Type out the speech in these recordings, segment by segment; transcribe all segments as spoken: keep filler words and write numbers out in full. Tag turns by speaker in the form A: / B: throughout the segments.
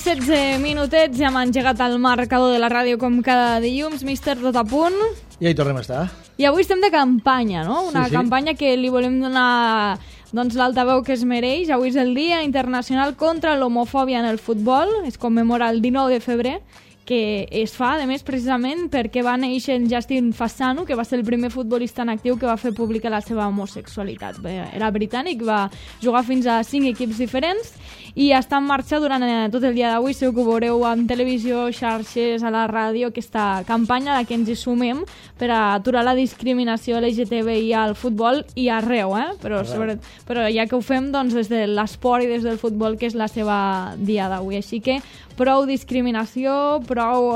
A: setze minutets, ja hem engegat el marcador de la ràdio com cada dilluns. Míster, tot a punt?
B: I ahí tornem a estar.
A: I avui estem de campanya, no? Una
B: sí, sí.
A: campanya que li volem donar doncs, l'altaveu que es mereix. Avui és el Dia Internacional contra l'Homofòbia en el Futbol. Es commemora el dinou de febrer, que es fa, a més, precisament perquè va néixer en Justin Fasano, que va ser el primer futbolista en actiu que va fer pública la seva homosexualitat. Era britànic, va jugar fins a cinc equips diferents i està en marxa durant tot el dia d'avui. Segur que ho veureu en televisió, xarxes, a la ràdio, aquesta campanya a la que ens hi sumem per a aturar la discriminació L G T B I al futbol i arreu, eh? Però, sobre, però ja que ho fem doncs, des de l'esport i des del futbol, que és la seva dia d'avui. Així que prou discriminació, prou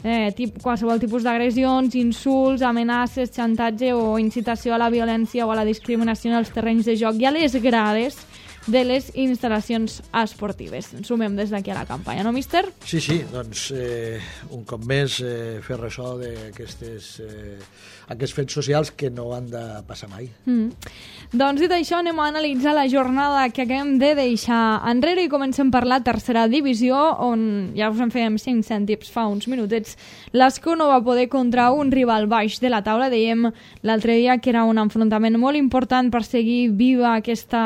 A: eh, tip, qualsevol tipus d'agressions, insults, amenaces, xantatge o incitació a la violència o a la discriminació en els terrenys de joc i a les grades de les instal·lacions esportives. Ens sumem des d'aquí a la campanya, no, míster?
B: Sí, sí, doncs eh, un cop més eh, fer ressò d'aquestes eh, aquests fets socials que no han de passar mai.
A: Mm. Doncs dit això, anem a analitzar la jornada que acabem de deixar enrere i comencem per la tercera divisió, on ja us en fèiem cinc cèntims fa uns minutets. L'Escó no va poder contra un rival baix de la taula. Dèiem l'altre dia que era un enfrontament molt important per seguir viva aquesta,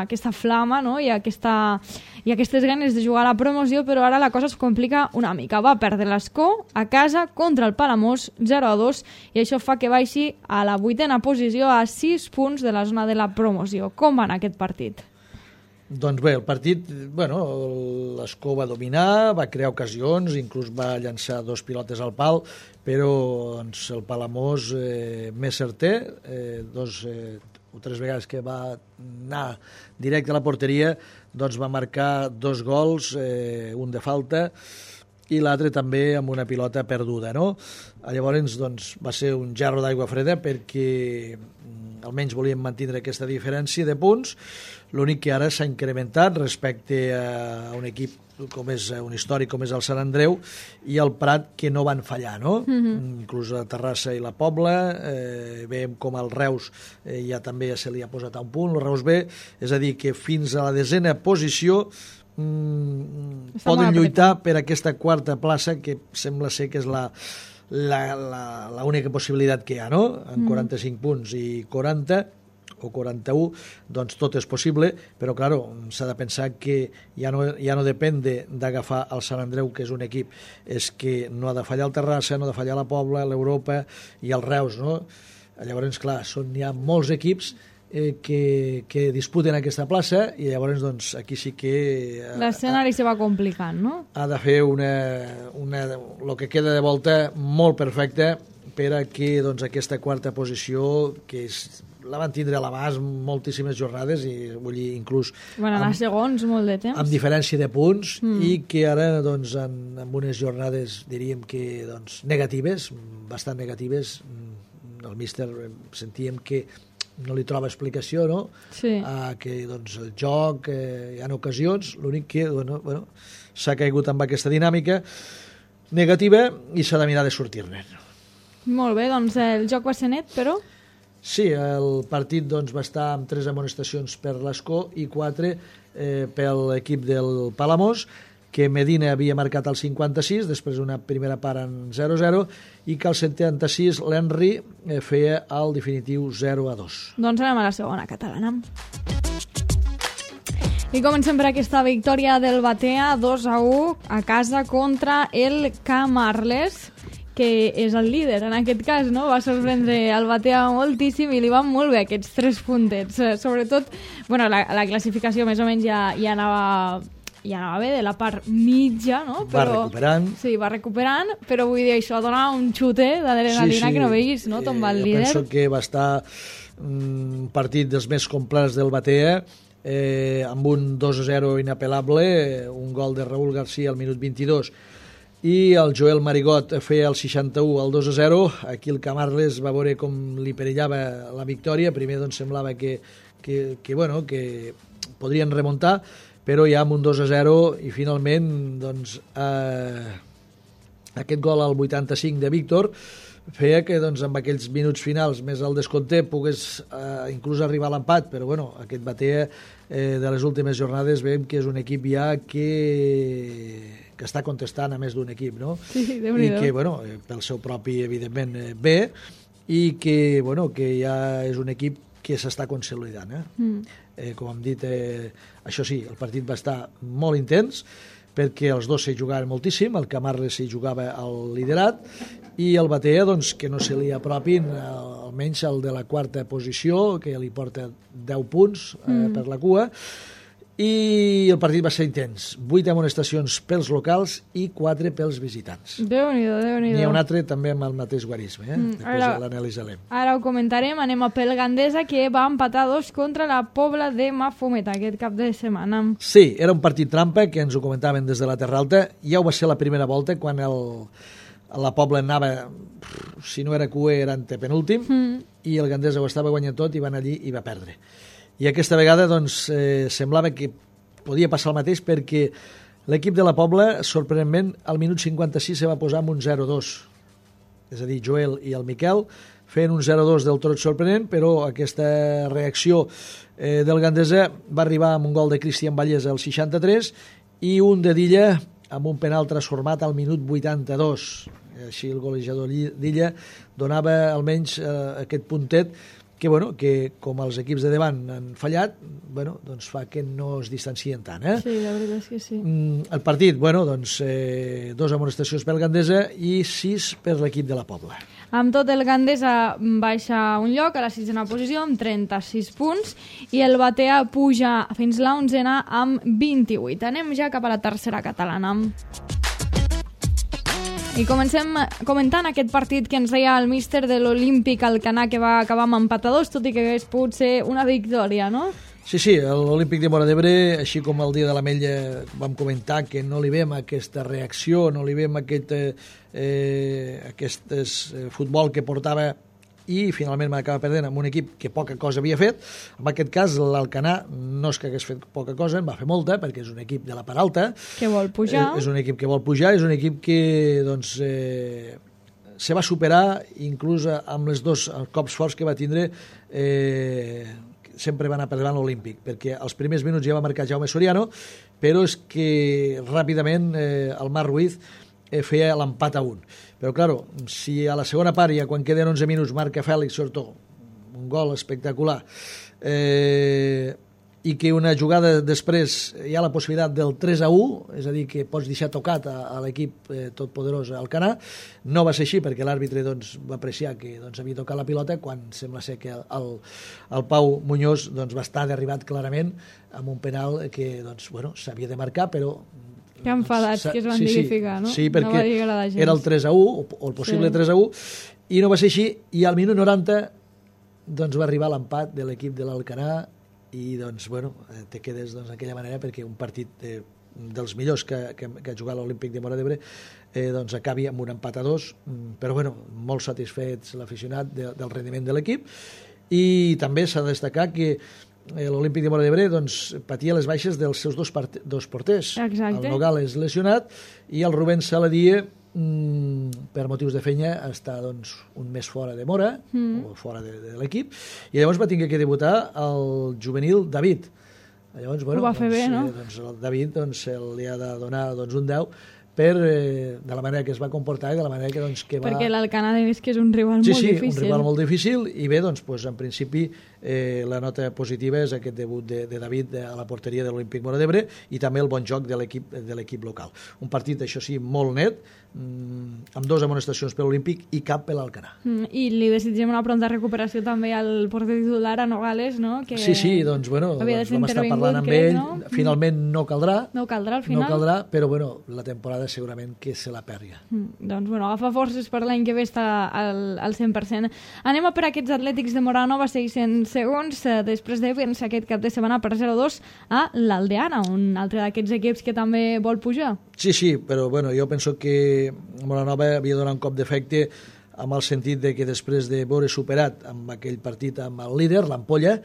A: aquesta flama, no? I, aquesta, i aquestes ganes de jugar a la promoció, però ara la cosa es complica una mica. Va perdre l'Escó a casa contra el Palamós zero a dos i això fa que baixi a la vuitena posició a sis punts de la zona de la promoció. Com va anar aquest partit?
B: Doncs bé, el partit, bueno, l'Escó va dominar, va crear ocasions, inclús va llançar dos pilotes al pal, però doncs, el Palamós eh, més certer, eh, dos eh, o tres vegades que va anar directe a la porteria, doncs va marcar dos gols, eh, un de falta, i l'altre també amb una pilota perduda, no? Llavors, doncs, va ser un gerro d'aigua freda perquè almenys volíem mantenir aquesta diferència de punts. L'únic que ara s'ha incrementat respecte a un equip com és un històric com és el Sant Andreu i el Prat, que no van fallar, no? Mm-hmm. Inclús la Terrassa i la Pobla, eh, veiem com el Reus eh, ja també ja se li ha posat a un punt, el Reus B, és a dir, que fins a la desena posició mm, poden lluitar per aquesta quarta plaça, que sembla ser que és la la, la, la única possibilitat que hi ha, no? En quaranta-cinc mm. punts i quaranta o quaranta-u, doncs tot és possible, però, clar, s'ha de pensar que ja no, ja no depèn d'agafar el Sant Andreu, que és un equip, és que no ha de fallar el Terrassa, no ha de fallar la Pobla, l'Europa i el Reus, no? Llavors, clar, són ja molts equips eh, que, que disputen aquesta plaça i llavors, doncs, aquí sí que... Eh,
A: l'escenari se va complicant, no?
B: Ha de fer una, una, el que queda de volta molt perfecta per a que, doncs, aquesta quarta posició, que és la van tindre a l'abast moltíssimes jornades i vull dir, inclús
A: van anar segons molt de temps
B: amb diferència de punts mm. i que ara doncs, en, en unes jornades diríem que doncs, negatives, bastant negatives, el míster sentíem que no li troba explicació, no? Sí. A que doncs, el joc eh, hi ha ocasions, l'únic que bueno, bueno, s'ha caigut amb aquesta dinàmica negativa i s'ha de mirar de sortir-ne.
A: Molt bé, doncs el joc va ser net, però...
B: Sí, el partit doncs, va estar amb tres amonestacions per l'Escó i quatre eh, per l'equip del Palamós, que Medina havia marcat el cinquanta-sis, després una primera part en zero a zero, i que al setanta-sis l'Henry eh, feia el definitiu zero a dos.
A: Doncs anem a la segona catalana. I comencem per aquesta victòria del Batea, dos a u a casa contra el Camarles, que és el líder en aquest cas, no? Va sorprendre el Batea moltíssim i li van molt bé aquests tres puntets. Sobretot, bueno, la, la classificació més o menys ja, ja anava... ja anava bé de la part mitja, no? Però,
B: va recuperant.
A: Sí, va recuperant, però vull dir, això dona un xute d'adrenalina sí, sí. que no veguis, no? Tombar el
B: eh,
A: líder.
B: Penso que va estar un partit dels més complets del Batea, eh, amb un dos a zero inapel·lable, un gol de Raúl García al minut vint-i-dos, i el Joel Marigot feia el seixanta-u al dos a zero. Aquí el Camarles va veure com li perillava la victòria. Primer doncs, semblava que, que, que, bueno, que podrien remuntar, però ja amb un dos a zero i finalment doncs, eh, aquest gol al vuitanta-cinc de Víctor feia que doncs, amb aquells minuts finals més el descompte pogués eh, inclús arribar a l'empat, però bueno, aquest Batea eh, de les últimes jornades veiem que és un equip ja que, que està contestant a més d'un equip, no?
A: Sí,
B: i que, bueno, pel seu propi, evidentment, eh, bé, i que, bueno, que ja és un equip que s'està consolidant. Eh? Mm. Eh, com hem dit, eh, això sí, el partit va estar molt intens, perquè els dos s'hi jugaven moltíssim, el Camarles s'hi jugava al liderat, i el Batea, doncs, que no se li apropin, almenys el de la quarta posició, que li porta deu punts eh, mm. per la cua, i el partit va ser intens. Vuit amonestacions pels locals i quatre pels visitants.
A: Déu-n'hi-do, Déu-n'hi-do.
B: N'hi ha un altre també amb el mateix guarisme, eh? Mm, Després ara, l'analitzarem.
A: Ara ho comentarem, anem a pel Gandesa, que va empatar dos contra la Pobla de Mafumet aquest cap de setmana.
B: Sí, era un partit trampa, que ens ho comentaven des de la Terra Alta. Ja ho va ser la primera volta, quan el, la Pobla anava, si no era cué, era antepenúltim, mm. i el Gandesa ho estava guanyant tot i van allí i va perdre. I aquesta vegada doncs, eh, semblava que podia passar el mateix, perquè l'equip de la Pobla, sorprenentment, al minut cinquanta-sis se va posar amb un zero dos. És a dir, Joel i el Miquel feien un zero dos del tot sorprenent, però aquesta reacció eh, del Gandesa va arribar amb un gol de Cristian Vallès al seixanta-tres i un de Dilla amb un penal transformat al minut vuitanta-dos. Així el golejador d'Illa donava almenys eh, aquest puntet que, bueno, que com els equips de davant han fallat, bueno, doncs fa que no es distancien tant. Eh?
A: Sí, la veritat és que sí.
B: Mm, el partit, bueno, doncs, eh, dos amonestacions pel Gandesa i sis per l'equip de la Pobla.
A: Amb tot, el Gandesa baixa un lloc a la sisena posició amb trenta-sis punts i el Batea puja fins la onzena amb vint-i-vuit. Anem ja cap a la tercera catalana. I comencem comentant aquest partit que ens deia el míster de l'Olímpic Alcanar, que va acabar amb empatadors, tot i que hagués pogut ser una victòria, no?
B: Sí, sí, l'Olímpic de Móra d'Ebre, així com el dia de l'Ametlla vam comentar que no li veiem aquesta reacció, no li veiem aquest, eh, aquest eh, futbol que portava i finalment m'acaba perdent amb un equip que poca cosa havia fet. En aquest cas, l'Alcanar no és que hagués fet poca cosa, en va fer molta, perquè és un equip de la part alta.
A: Que vol pujar.
B: Eh, és un equip que vol pujar, és un equip que doncs, eh, se va superar, inclús amb els dos cops forts que va tindre, eh, sempre va anar per davant l'Olímpic, perquè als primers minuts ja va marcar Jaume Soriano, però és que ràpidament eh, el Marc Ruiz eh, feia l'empat a un. Però, clar, si a la segona part, ja quan queden onze minuts, marca Fèlix Sortó, un gol espectacular, eh, i que una jugada després hi ha la possibilitat del tres a u, és a dir, que pots deixar tocat a, a l'equip eh, totpoderós Alcanar, no va ser així perquè l'àrbitre doncs, va apreciar que doncs, havia tocat la pilota, quan sembla ser que el, el Pau Muñoz doncs, va estar derribat clarament amb un penal que doncs, bueno, s'havia de marcar, però
A: que enfadats que es van
B: sí,
A: dignificar, no?
B: Sí, perquè
A: no va dir agradar gens.
B: Era el tres a u, o el possible sí. tres a u, i no va ser així, i al minut noranta doncs, va arribar l'empat de l'equip de l'Alcanar, i doncs, bueno, te quedes doncs, d'aquella manera, perquè un partit eh, dels millors que, que, que ha jugat l'Olímpic de Móra d'Ebre eh, doncs acabi amb un empat a dos, però bueno, molt satisfets l'aficionat de, del rendiment de l'equip, i també s'ha de destacar que l'Olímpic de Móra d'Ebre doncs, patia les baixes dels seus dos, part... dos porters.
A: Exacte.
B: El Nogales lesionat i el Rubén Saladie, mm, per motius de feina, està doncs, un mes fora de Móra, mm. o fora de, de l'equip, i llavors va tenir que debutar el juvenil David. Llavors, bueno,
A: ho va fer
B: doncs,
A: bé, no?
B: Eh, doncs, el David doncs, li ha de donar doncs, un deu per, eh, de la manera que es va comportar i de la manera que, doncs, que va...
A: Perquè l'Alcanar és que és un rival
B: sí,
A: molt
B: sí,
A: difícil.
B: Sí, un rival molt difícil, i bé, doncs, doncs en principi eh, la nota positiva és aquest debut de, de David a la porteria de l'Olímpic Móra d'Ebre i també el bon joc de l'equip de l'equip local. Un partit, això sí, molt net, mmm, amb dos amonestacions per l'Olímpic i cap per l'Alcanar.
A: Mm, I li desitgem una pronta recuperació també al porter titular, a Nogales, no? Que
B: sí, sí, doncs, bueno, doncs vam estar parlant amb
A: crec,
B: ell,
A: no?
B: finalment no caldrà,
A: no caldrà al final,
B: no caldrà, però bueno, la temporada segurament que se la pèrria.
A: Mm, doncs, bueno, agafa forces per l'any que ve està al, al cent per cent. Anem a per aquests Atlètics de Móra Nova, seiscents segons, eh, després de vèncer aquest cap de setmana per zero a dos a l'Aldeana, un altre d'aquests equips que també vol pujar.
B: Sí, sí, però bueno, jo penso que Móra Nova havia donat un cop d'efecte amb el sentit de que després de veure superat amb aquell partit amb el líder, l'Ampolla,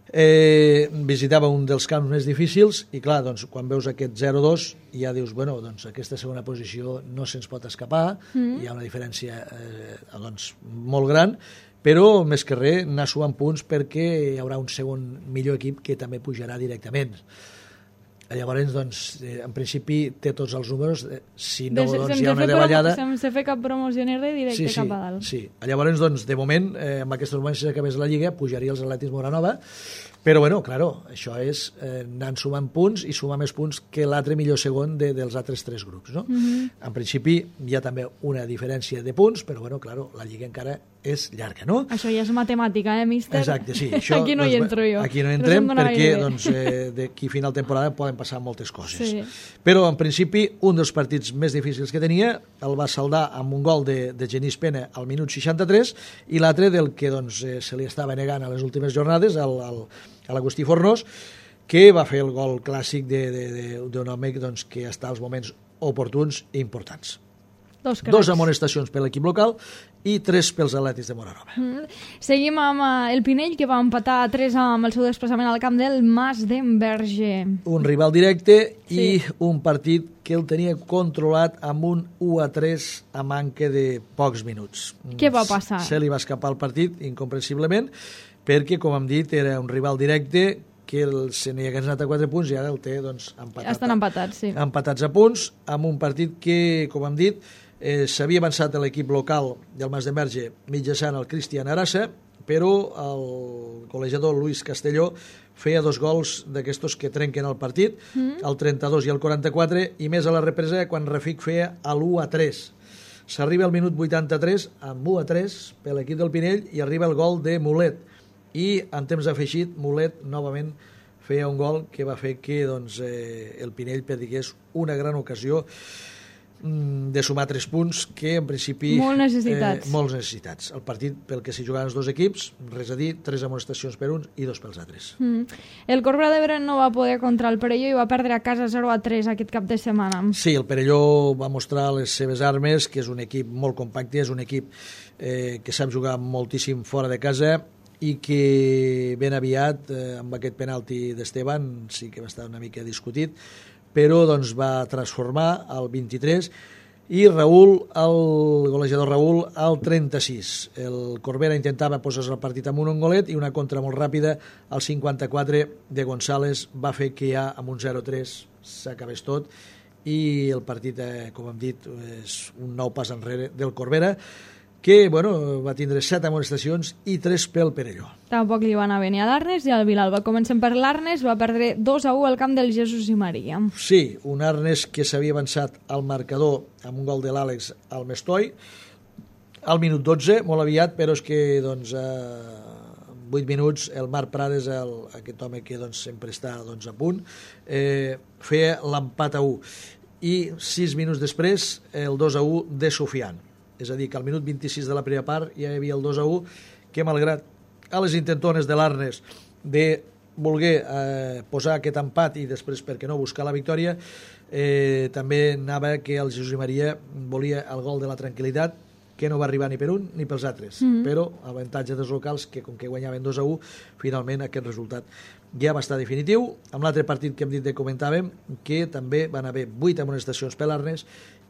B: Eh, visitava un dels camps més difícils i clar, doncs, quan veus aquest zero dos ja dius, bueno, doncs aquesta segona posició no se'ns pot escapar, mm. hi ha una diferència eh, doncs, molt gran, però més que res anar sumant punts perquè hi haurà un segon millor equip que també pujarà directament. Llavors, doncs, eh, en principi té tots els números, eh, si no,
A: de,
B: doncs hi ha una davallada...
A: Sense fer cap promoció ni res, directe
B: sí, sí,
A: cap a dalt.
B: Sí, llavors, doncs, de moment, eh, amb aquests moments, si acabés la Lliga, pujaria els Atlètics Moranova, però, bueno, claro, això és eh, anant sumant punts i sumar més punts que l'altre millor segon de, dels altres tres grups, no? Mm-hmm. En principi, hi ha també una diferència de punts, però, bueno, claro, la Lliga encara és llarga, no?
A: Això ja és matemàtica, eh, míster?
B: Exacte, sí. Això,
A: aquí no
B: doncs,
A: hi entro jo.
B: Aquí no entrem perquè, doncs, eh, d'aquí a final de temporada poden passar moltes coses. Sí. Però, en principi, un dels partits més difícils que tenia el va saldar amb un gol de, de Genís Pena al minut seixanta-tres i l'altre del que, doncs, eh, se li estava negant a les últimes jornades, al, al, a l'Agustí Fornós, que va fer el gol clàssic d'un home doncs, que està als moments oportuns i importants.
A: Dos,
B: Dos amonestacions per l'equip local i tres pels Atlètics de Moranova.
A: Mm. Seguim amb uh, el Pinell, que va empatar a tres amb el seu desplaçament al camp del Mas d'Enverge.
B: Un rival directe
A: sí.
B: i un partit que el tenia controlat amb un u a tres a manca de pocs minuts.
A: Què va passar?
B: Se li va escapar el partit, incomprensiblement, perquè, com hem dit, era un rival directe que el, se n'hi hagués anat a quatre punts i ara el té doncs, empatat.
A: Estan empatats, sí.
B: Empatats a punts, amb un partit que, com hem dit, eh, s'havia avançat a l'equip local del Mas d'Enverge mitjançant el Cristian Arassa, però el col·legiador Luis Castelló feia dos gols d'aquestos que trenquen el partit, mm. el trenta-dos i el quaranta-quatre, i més a la represa quan Rafik feia l'u a tres. S'arriba al minut vuitanta-tres amb u a tres per l'equip del Pinell i arriba el gol de Mulet. I en temps afegit, Mulet novament feia un gol que va fer que doncs, eh, el Pinell perdigués una gran ocasió mm, de sumar tres punts que en principi...
A: Molt necessitats.
B: Eh, molts necessitats. El partit pel que s'hi jugaven els dos equips, res a dir, tres amonestacions per uns i dos pels altres.
A: Mm. El Corbera d'Ebre no va poder contra el Perelló i va perdre a casa zero a tres aquest cap de setmana.
B: Sí, el Perelló va mostrar les seves armes, que és un equip molt compacte, és un equip eh, que sap jugar moltíssim fora de casa i que ben aviat, eh, amb aquest penalti d'Esteban, sí que va estar una mica discutit, però doncs, va transformar al vint-i-tres i Raül, el golejador Raül, al trenta-sis. El Corbera intentava posar-se el partit amb un golet i una contra molt ràpida al cinquanta-quatre de González va fer que ja amb un zero a tres s'acabés tot i el partit, eh, com hem dit, és un nou pas enrere del Corbera, que bueno, va tindre set amonestacions i tres pel Perelló.
A: Tampoc li va anar bé ni a l'Arnes i al Vilalba. Comencem per l'Arnes, va perdre dos a u al camp del Jesús i Maria.
B: Sí, un Arnes que s'havia avançat al marcador amb un gol de l'Àlex al Mestoi, al minut dotze, molt aviat, però és que doncs, a vuit minuts el Marc Prades, el, aquest home que doncs, sempre està doncs, a punt, eh, feia l'empat a u. I sis minuts després el dos a u de Sofian. És a dir, que al minut vint-i-sis de la primera part ja hi havia el dos a u, que malgrat a les intentones de l'Arnes de voler eh, posar aquest empat i després, per què no, buscar la victòria, eh, també anava que el Jesús i Maria volia el gol de la tranquil·litat, que no va arribar ni per un ni pels altres, mm-hmm. però avantatge dels locals, que com que guanyaven dos a u, finalment aquest resultat ja va estar definitiu. Amb l'altre partit que hem dit que comentàvem, que també van haver vuit amonestacions per l'Arnes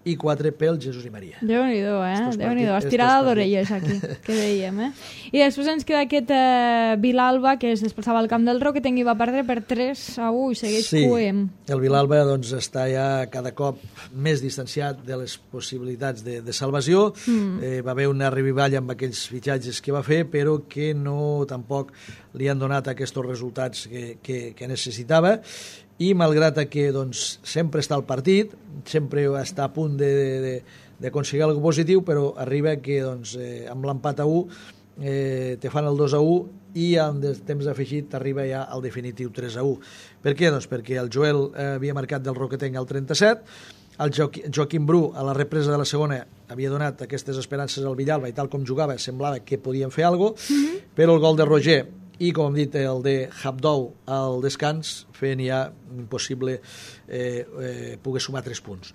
B: i quatre pel Jesús i Maria.
A: Déu-n'hi-do, eh? Déu-n'hi-do. Estirada d'orelles aquí, que dèiem, eh? I després ens queda aquest eh, Vilalba, que es desplaçava al camp del Roquetenc i va perdre per tres a u i segueix
B: sí,
A: coent.
B: El Vilalba doncs, està ja cada cop més distanciat de les possibilitats de, de salvació. Mm. Eh, va haver una revivalla amb aquells fitxatges que va fer, però que no tampoc li han donat aquests resultats que, que, que necessitava. I malgrat que doncs, sempre està al partit, sempre està a punt d'aconseguir alguna cosa positiu, però arriba que doncs, eh, amb l'empat a u eh, te fan el dos a u i amb el temps afegit t'arriba ja al definitiu tres a u. Per què? Doncs perquè el Joel eh, havia marcat del Roquetenc al trenta-set, el Joaqui, Joaquim Bru a la represa de la segona havia donat aquestes esperances al Villalba i tal com jugava semblava que podien fer alguna cosa, mm-hmm. però el gol de Roger i, com hem dit, el de Habdou al descans feien ja impossible eh, eh, poder sumar tres punts.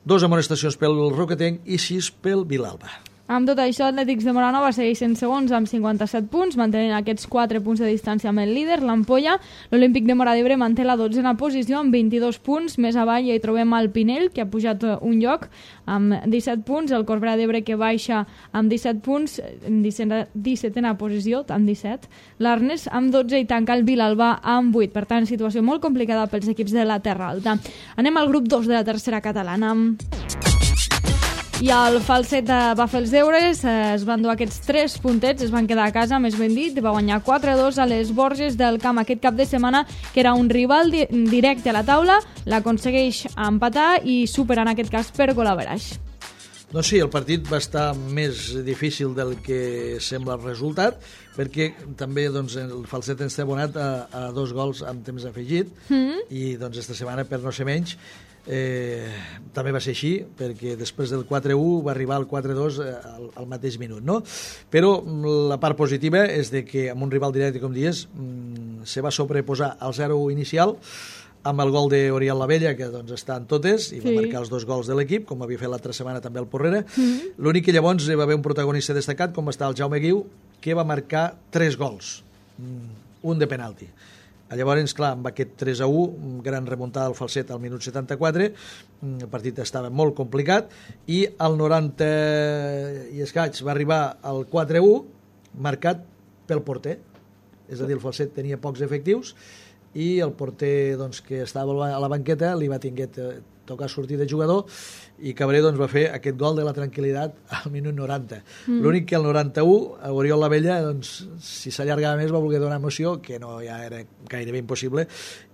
B: Dos amonestacions pel Roquetenc i sis pel Vilalba.
A: Amb tot això, Atlètics de Móra segueix en segons amb cinquanta-set punts, mantenint aquests quatre punts de distància amb el líder, l'Ampolla. L'Olímpic de Móra d'Ebre manté la dotzena posició amb vint-i-dos punts. Més avall hi trobem el Pinell, que ha pujat un lloc amb disset punts. El Corbera d'Ebre, que baixa amb disset punts, en dissetena posició, amb disset. L'Arnes amb dotze i tanca el Vilalba amb vuit. Per tant, situació molt complicada pels equips de la Terra Alta. Anem al grup dos de la tercera catalana. I el Falset va fer els deures, es van dur aquests tres puntets, es van quedar a casa, més ben dit, va guanyar quatre a dos a les Borges del Camp aquest cap de setmana, que era un rival di directe a la taula, l'aconsegueix empatar i supera en aquest cas per gol average.
B: Doncs sí, el partit va estar més difícil del que sembla el resultat, perquè també doncs, el Falset ens té abonat a, a dos gols amb temps afegit, mm. i doncs esta setmana, per no ser menys, Eh, també va ser així, perquè després del quatre a u va arribar al quatre a dos al, al mateix minut, no? Però la part positiva és de que amb un rival directe, com dies, mm, se va sobreposar al zero a u inicial amb el gol d'Oriol Lavella, que doncs està en totes, i va sí. marcar els dos gols de l'equip, com havia fet l'altra setmana també el Porrera. Mm-hmm. L'únic que llavors va haver un protagonista destacat, com va estar el Jaume Guiu, que va marcar tres gols, un de penalti. Llavors, clar, amb aquest tres a u, gran remuntada al Falset al minut setanta-quatre, el partit estava molt complicat, i al noranta i escaig va arribar al quatre a u, marcat pel porter. És a dir, el Falset tenia pocs efectius, i el porter doncs, que estava a la banqueta li va tinguer tocar sortir de jugador, i Cabré doncs, va fer aquest gol de la tranquil·litat al minut noranta. Mm. L'únic que al noranta-u, a Oriol Lavella, doncs, si s'allargava més, va voler donar emoció, que no ja era gairebé impossible,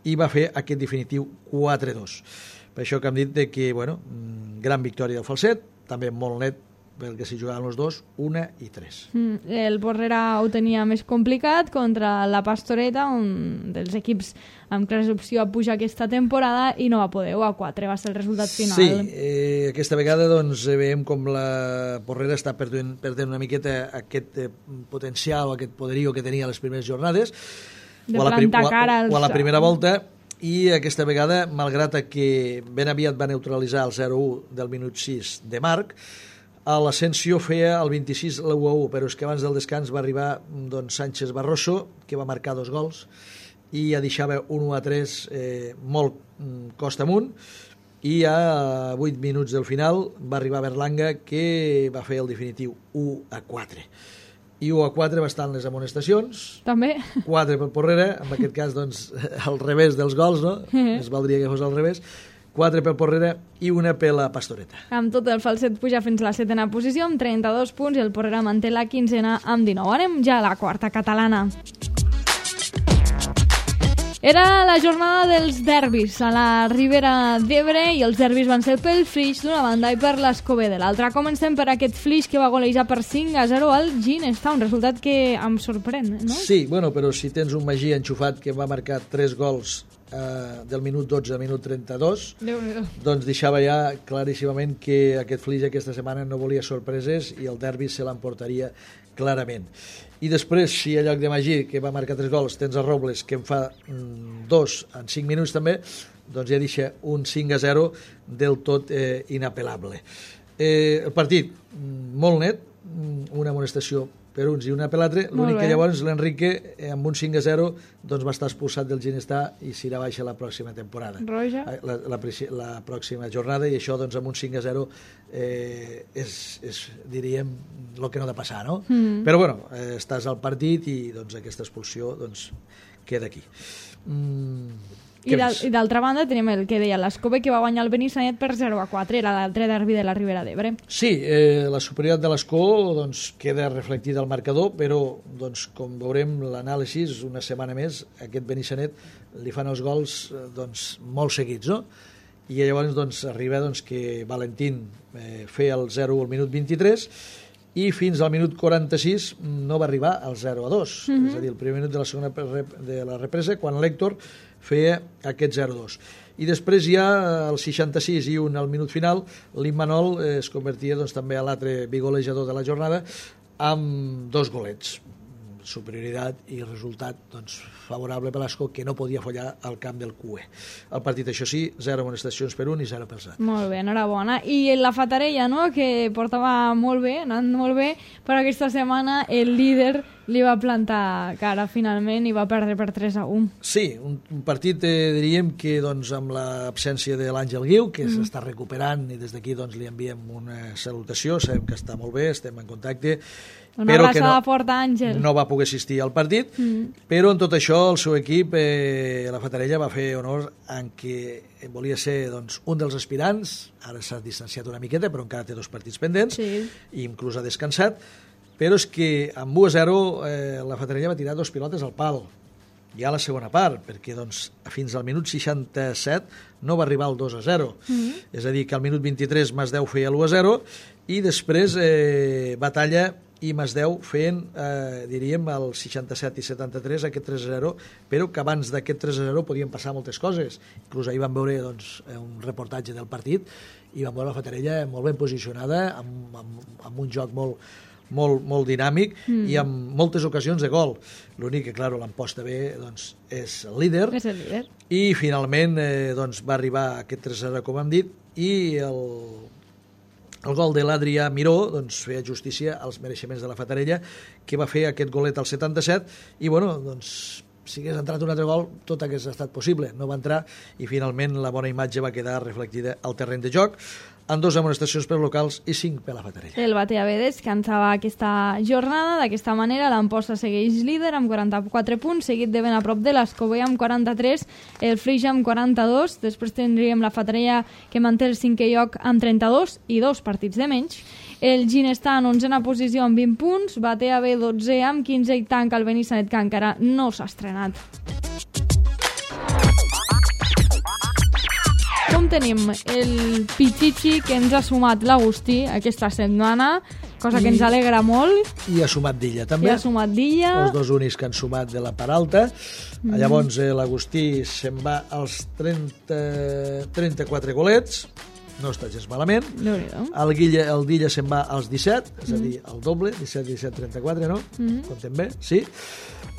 B: i va fer aquest definitiu quatre a dos. Per això que hem dit de que, bueno, gran victòria del Falset, també molt net, perquè s'hi jugaven els dos, una i tres.
A: Mm, el Porrera ho tenia més complicat contra la Pastoreta, un dels equips amb clara opció a pujar aquesta temporada, i no va poder, u a quatre va ser el resultat final.
B: Sí, eh, aquesta vegada doncs, veiem com la Porrera està perdent, perdent una miqueta aquest eh, potencial o aquest poderío que tenia a les primeres jornades,
A: de o, a plantar
B: la,
A: cara
B: o, o a la primera volta, i aquesta vegada, malgrat que ben aviat va neutralitzar el zero a u del minut sis de Marc, a l'Ascensió feia el vint-i-sis l'u a u, però és que abans del descans va arribar doncs, Sánchez Barroso, que va marcar dos gols, i ja deixava un u a tres eh, molt costa amunt, i a vuit minuts del final va arribar Berlanga, que va fer el definitiu u a quatre. I u a quatre va estar en les amonestacions,
A: també
B: quatre pel Porrera, en aquest cas doncs, al revés dels gols, no? Es valdria que fos al revés, quatre pel Porrera i una per la Pastoreta.
A: Amb tot, el Falset puja fins a la setena posició amb trenta-dos punts, i el Porrera manté la quinzena amb dinou. Anem ja a la quarta catalana. Era la jornada dels derbis a la Ribera d'Ebre, i els derbis van ser pel Flix d'una banda i per l'Escobé de l'altra. Comencem per aquest Flix que va golejar per cinc a zero al Ginesta, un resultat que em sorprèn, no?
B: Sí, bueno, però si tens un Magí enxufat que va marcar tres gols eh, del minut dotze al minut trenta-dos, doncs deixava ja claríssimament que aquest Flix aquesta setmana no volia sorpreses i el derbi se l'emportaria clarament. I després, si a lloc de Magí, que va marcar tres gols, tens a Robles, que en fa mm, dos en cinc minuts també, doncs ja deixa un cinc a zero del tot eh, inapel·lable. Eh, el partit, mm, molt net, mm, una amonestació per uns i una per l'altre, l'únic que llavors l'Enrique, eh, amb un cinc a zero, doncs va estar expulsat del Ginestà i s'irà baixa la pròxima temporada.
A: Roja.
B: La, la, la pròxima jornada, i això doncs amb un cinc a zero eh, és, és, diríem, el que no ha de passar, no? Mm. Però bueno, eh, estàs al partit i doncs aquesta expulsió doncs queda aquí. Mm.
A: I d'altra banda tenim el que deia l'Escobé, que va guanyar el Benissanet per zero a quatre, era l'altre derbi de la Ribera d'Ebre.
B: Sí, eh, la superioritat de l'Escó doncs, queda reflectida al marcador, però doncs, com veurem l'anàlisi, una setmana més, aquest Benissanet li fan els gols doncs, molt seguits, no? I llavors doncs, arriba doncs, que Valentín eh, feia el zero al minut vint-i-tres, i fins al minut quaranta-sis no va arribar al zero a dos, mm-hmm. és a dir, el primer minut de la segona de la represa, quan l'Héctor feia aquest zero a dos. I després ja al seixanta-sis i un al minut final, l'Immanol eh, es convertia doncs, també a l'altre bigolejador de la jornada amb dos golets. superioritat i resultat doncs, favorable per l'Esco, que no podia fallar al camp del Q E. El partit, això sí, zero amonestacions per un i zero per zero.
A: Molt bé, enhorabona. I la Fatarella, no?, que portava molt bé, anant molt bé, però aquesta setmana el líder li va plantar cara finalment i va perdre per tres a un.
B: Sí, un, un partit, eh, diríem que doncs, amb l'absència de l'Àngel Guiu, que mm. s'està recuperant, i des d'aquí doncs, li enviem una salutació, sabem que està molt bé, estem en contacte,
A: una
B: però que no,
A: forta, Àngel.
B: no va poder assistir al partit, mm. però en tot això el seu equip, eh, la Fatarella, va fer honor en què volia ser doncs, un dels aspirants, ara s'ha distanciat una miqueta, però encara té dos partits pendents,
A: sí.
B: i inclús ha descansat, però és que amb u a zero eh, la Fatarella va tirar dos pilotes al pal, ja a la segona part, perquè doncs, fins al minut seixanta-set no va arribar al dos a zero. Mm-hmm. És a dir, que al minut vint-i-tres Masdeu feia l'u a zero i després eh, Batalla i Masdeu feien, eh, diríem, el seixanta-set i setanta-tres aquest tres a zero, però que abans d'aquest tres a zero podien passar moltes coses. Inclús ahir vam veure doncs, un reportatge del partit i vam veure la Fatarella molt ben posicionada, amb, amb, amb un joc molt molt, molt dinàmic mm. i amb moltes ocasions de gol. L'únic que, clar, l'emposta bé doncs, és el líder.
A: És el líder.
B: I finalment eh, doncs, va arribar aquest tres a zero, com hem dit, i el, el gol de l'Adrià Miró doncs, feia justícia als mereixements de la Fatarella, que va fer aquest golet al setanta-set, i bueno, doncs si hagués entrat un altre gol, tot hagués estat possible. No va entrar i finalment la bona imatge va quedar reflectida al terreny de joc, amb dos amonestacions per locals i cinc per la Fatarella.
A: El Batea-B descansava aquesta jornada. D'aquesta manera, l'Amposta segueix líder amb quaranta-quatre punts, seguit de ben a prop de l'Escobé amb quaranta-tres, el Flix amb quaranta-dos, després tindríem la Fatarella que manté el cinquè lloc amb trenta-dos i dos partits de menys. El Gin està en onzena posició amb vint punts, Batea-B dotze amb quinze i tanca el Benissanet, que encara no s'ha estrenat. Com tenim el Pichichi que ens ha sumat l'Agustí aquesta setmana, cosa que I, ens alegra molt.
B: I ha sumat Dilla també.
A: I ha sumat Dilla.
B: Els dos únics que han sumat de la part alta. Mm. Llavors eh, l'Agustí se'n va als trenta, trenta-quatre golets, no està gens malament. El, Guilla, el Dilla se'n va als disset, és mm. a dir, el doble, disset, disset, trenta-quatre, no? Mm. Comptem bé, sí.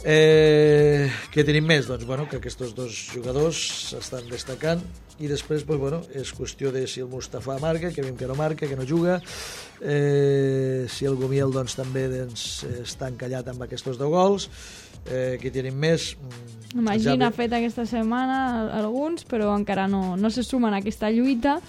B: Eh, què tenim més? Doncs bueno, que aquests dos jugadors s'estan destacant i després pues, bueno, és qüestió de si el Mustafa marca, que veiem que no marca, que no juga, eh, si el Gumiel doncs, també doncs, està encallat amb aquests dos gols. Eh, què tenim més?
A: Imagina, ja... ha fet aquesta setmana alguns, però encara no, no se sumen a aquesta lluita.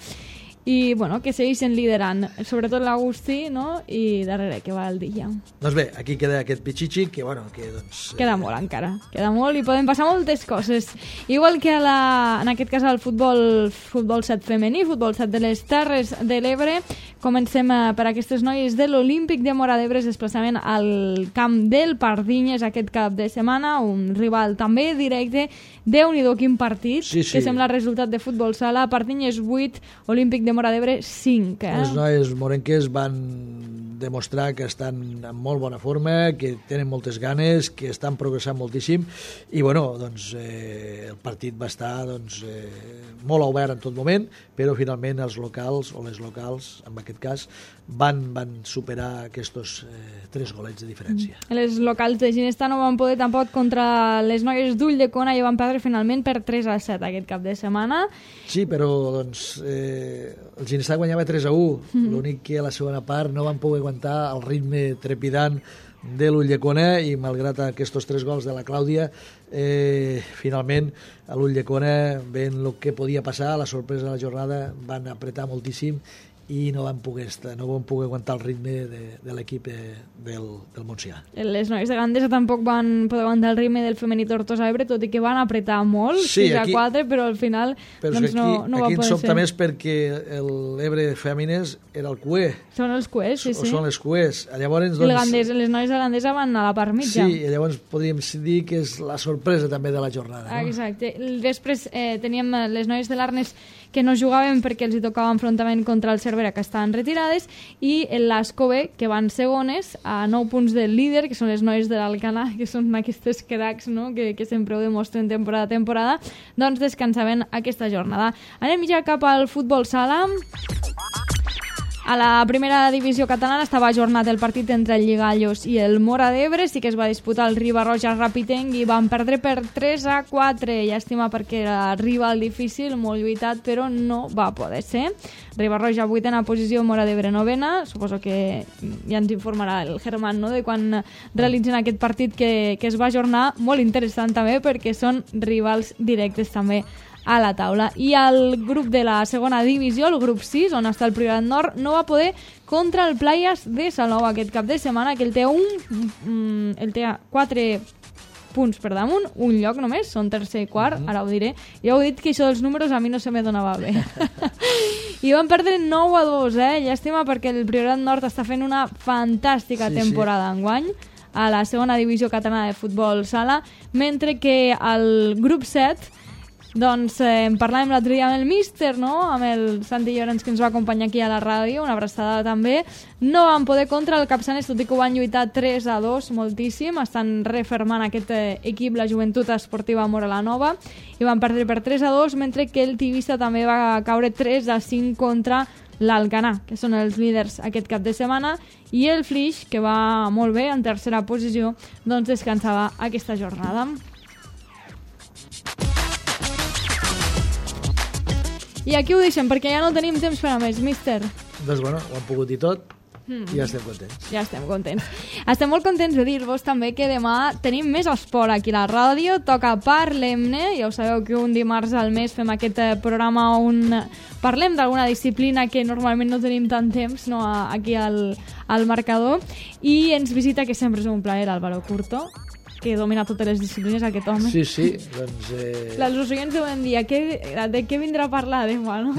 A: I, bueno, que segueixen liderant, sobretot l'Agustí, no?, i darrere que va el Dilla.
B: Doncs bé, aquí queda aquest Pichichi, que, bueno, que, doncs...
A: Queda
B: eh...
A: molt encara, queda molt i poden passar moltes coses. Igual que a la, en aquest cas al futbol, futbol set femení, futbol set de les Terres de l'Ebre, comencem per aquestes noies de l'Olímpic de Móra d'Ebre, desplaçament al camp del Pardinyes aquest cap de setmana, un rival també directe. Déu-n'hi-do quin partit, sí, sí. Que sembla resultat de futbol sala. Pardinyes vuit, Olímpic de Móra d'Ebre cinc. Eh?
B: Les noies morenques van demostrar que estan en molt bona forma, que tenen moltes ganes, que estan progressant moltíssim i bueno, doncs eh, el partit va estar doncs, eh, molt obert en tot moment, però finalment els locals, o les locals en aquest cas, van, van superar aquests eh, tres golets de diferència.
A: Mm. Les locals de Ginesta no van poder tampoc contra les noies d'Ulldecona i van perdre finalment per tres a set aquest cap de setmana.
B: Sí, però doncs eh, el Ginesta guanyava tres a u, mm. l'únic que a la segona part no van poder aguantar el ritme trepidant de l'Ulldecona i malgrat aquests tres gols de la Clàudia eh, finalment a l'Ulldecona veient el que podia passar, la sorpresa de la jornada, van apretar moltíssim i no van poder, estar, no van poder aguantar el ritme de, de l'equip de, del, del Montsià.
A: Les noies de Gandesa tampoc van poder aguantar el ritme del femení Tortosa Ebre, tot i que van apretar molt,
B: sí,
A: sis a quatre, però al final
B: però
A: doncs
B: aquí,
A: no, no va
B: poder ser. Aquí ens sobta més perquè l'Ebre Fèmines era el Q E.
A: Són els Q E, sí, sí.
B: O són les Q Es. Llavors, doncs,
A: Gandesa, les noies de Gandesa van a la part mitja.
B: Sí, i llavors podríem dir que és la sorpresa també de la jornada. No?
A: Exacte. Després eh, teníem les noies de l'Arnes que no jugaven perquè els hi tocava enfrontament contra el Cervera, que estaven retirades, i l'Escobé, que van segones, a nou punts del líder, que són les noies de l'Alcanar, que són aquestes cracs, no?, que, que sempre ho demostren temporada a temporada, doncs descansaven aquesta jornada. Anem ja cap al futbol sala. A la primera divisió catalana estava ajornat el partit entre el Lligallos i el Móra d'Ebre, sí que es va disputar el Riba-roja Rapitenc i van perdre per tres a quatre. Llàstima perquè era rival difícil, molt lluitat, però no va poder ser. Riba-roja vuitena posició, Móra d'Ebre novena. Suposo que ja ens informarà el Germán, no?, de quan realitzen aquest partit que, que es va ajornar. Molt interessant també perquè són rivals directes també a la taula. I el grup de la segona divisió, el grup sis, on està el Priorat Nord, no va poder contra el Playas de Salou aquest cap de setmana, que el té un, mm, el té quatre punts per damunt, un lloc només, són tercer i quart, ara ho diré. Ja heu dit que això dels números a mi no se me donava bé. I van perdre nou a dos, eh? Llàstima perquè el Priorat Nord està fent una fantàstica sí, temporada sí. enguany a la segona divisió catalana de futbol sala, mentre que al grup set doncs eh, parlàvem l'altre dia amb el míster, no?, amb el Santi Llorenç, que ens va acompanyar aquí a la ràdio, una abraçada també. No van poder contra el Capçanes, tot i que ho van lluitar tres a dos, moltíssim. Estan refermant aquest eh, equip, la Joventut Esportiva Móra la Nova, i van perdre per tres a dos, mentre que el Tivissa també va caure tres a cinc contra l'Alcanar, que són els líders aquest cap de setmana, i el Flix, que va molt bé, en tercera posició, doncs descansava aquesta jornada. I aquí ho deixem, perquè ja no tenim temps per a més, míster.
B: Doncs bueno, ho hem pogut dir tot mm. i ja estem contents.
A: Ja estem contents. Estem molt contents de dir-vos també que demà tenim més esport aquí a la ràdio, toca Parlem-ne, ja ho sabeu que un dimarts al mes fem aquest programa on parlem d'alguna disciplina que normalment no tenim tant temps, no, aquí al, al marcador, i ens visita, que sempre és un plaer, Álvaro Curto, que domina totes les disciplines, aquest home.
B: Sí, sí, doncs... Eh...
A: Els oients deuen dir, què, de què vindrà a parlar demà, no?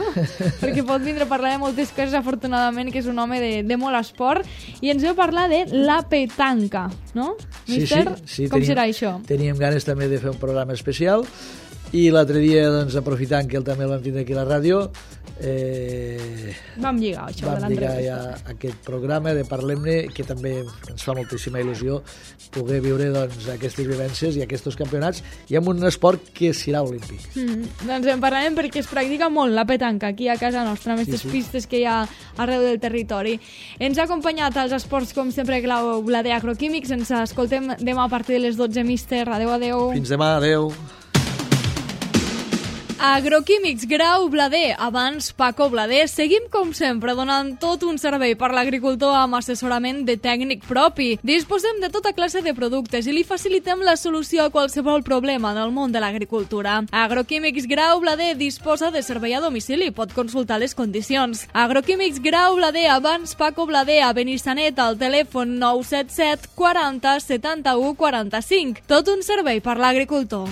A: Perquè pot vindre a parlar de moltes coses, afortunadament, que és un home de, de molt esport, i ens veu parlar de la petanca, no?
B: Sí,
A: Mister,
B: sí, sí.
A: Com
B: teníem,
A: serà això?
B: Teníem ganes també de fer un programa especial, i l'altre dia, doncs, aprofitant que ell també el vam tindre aquí a la ràdio, eh,
A: vam lligar això
B: vam
A: de
B: lligar
A: l'entrevista.
B: Ja aquest programa de Parlem-ne, que també ens fa moltíssima il·lusió poder viure, doncs, aquestes vivències i aquests campionats, i amb un esport que serà olímpic.
A: Mm, doncs en parlarem perquè es practica molt la petanca aquí a casa nostra, amb aquestes sí, sí. pistes que hi ha arreu del territori. Ens ha acompanyat als esports, com sempre, Clau Blader Agroquímics. Ens escoltem demà a partir de les dotze, míster. Adéu, adéu.
B: Fins demà, adéu.
A: Agroquímics Grau Blader, abans Paco Blader. Seguim, com sempre, donant tot un servei per l'agricultor amb assessorament de tècnic propi. Disposem de tota classe de productes i li facilitem la solució a qualsevol problema en el món de l'agricultura. Agroquímics Grau Blader disposa de servei a domicili. Pot consultar les condicions. Agroquímics Grau Blader, abans Paco Blader, a Benissanet, al telèfon nou set set quaranta setanta-u quaranta-cinc. Tot un servei per l'agricultor.